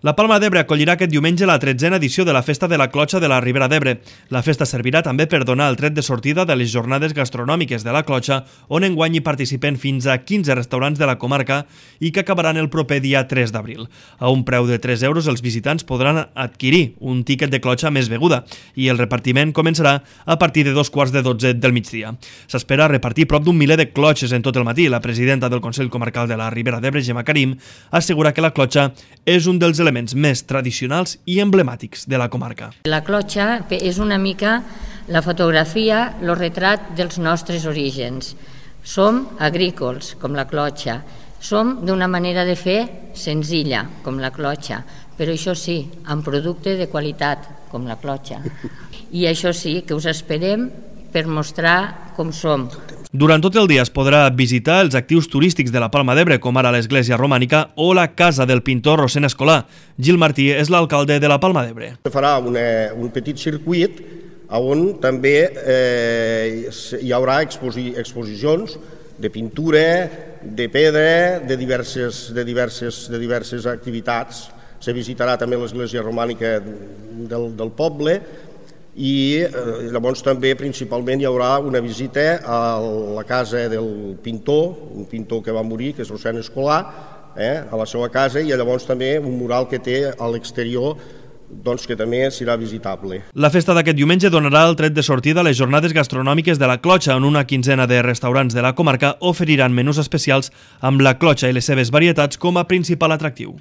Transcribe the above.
La Palma d'Ebre acollirà aquest diumenge la 13a edició de la Festa de la Clotxa de la Ribera d'Ebre. La festa servirà també per donar el tret de sortida de les jornades gastronòmiques de la Clotxa, on enguany hi participen fins a 15 restaurants de la comarca i que acabaran el proper dia 3 d'abril. A un preu de 3 euros els visitants podran adquirir un tíquet de clotxa més beguda i el repartiment començarà a partir de 2:45 del migdia. S'espera repartir prop d'un miler de clotxes en tot el matí. La presidenta del Consell Comarcal de la Ribera d'Ebre, Gemma Karim, assegura que la clotxa és un dels elements més tradicionals i emblemàtics de la comarca. La clotxa és una mica la fotografia, el retrat dels nostres orígens. Som agrícoles, com la clotxa. Som d'una manera de fer senzilla, com la clotxa, però això sí, amb producte de qualitat, com la clotxa. I això sí, que us esperem per mostrar com som. Durant tot el dia es podrà visitar els actius turístics de la Palma d'Ebre, com ara l'església romànica o la casa del pintor Rossend Escolà. Gil Martí és l'alcalde de la Palma d'Ebre. Farà un petit circuit on també hi haurà exposicions de pintura, de pedra, de diverses activitats. Se visitarà també l'església romànica del poble i llavors també principalment hi haurà una visita a la casa del pintor, un pintor que va morir, que és Rossend Escolà, a la seva casa, i llavors també un mural que té a l'exterior que també serà visitable. La festa d'aquest diumenge donarà el tret de sortida a les jornades gastronòmiques de la Clotxa, on una quinzena de restaurants de la comarca oferiran menús especials amb la clotxa i les seves varietats com a principal atractiu.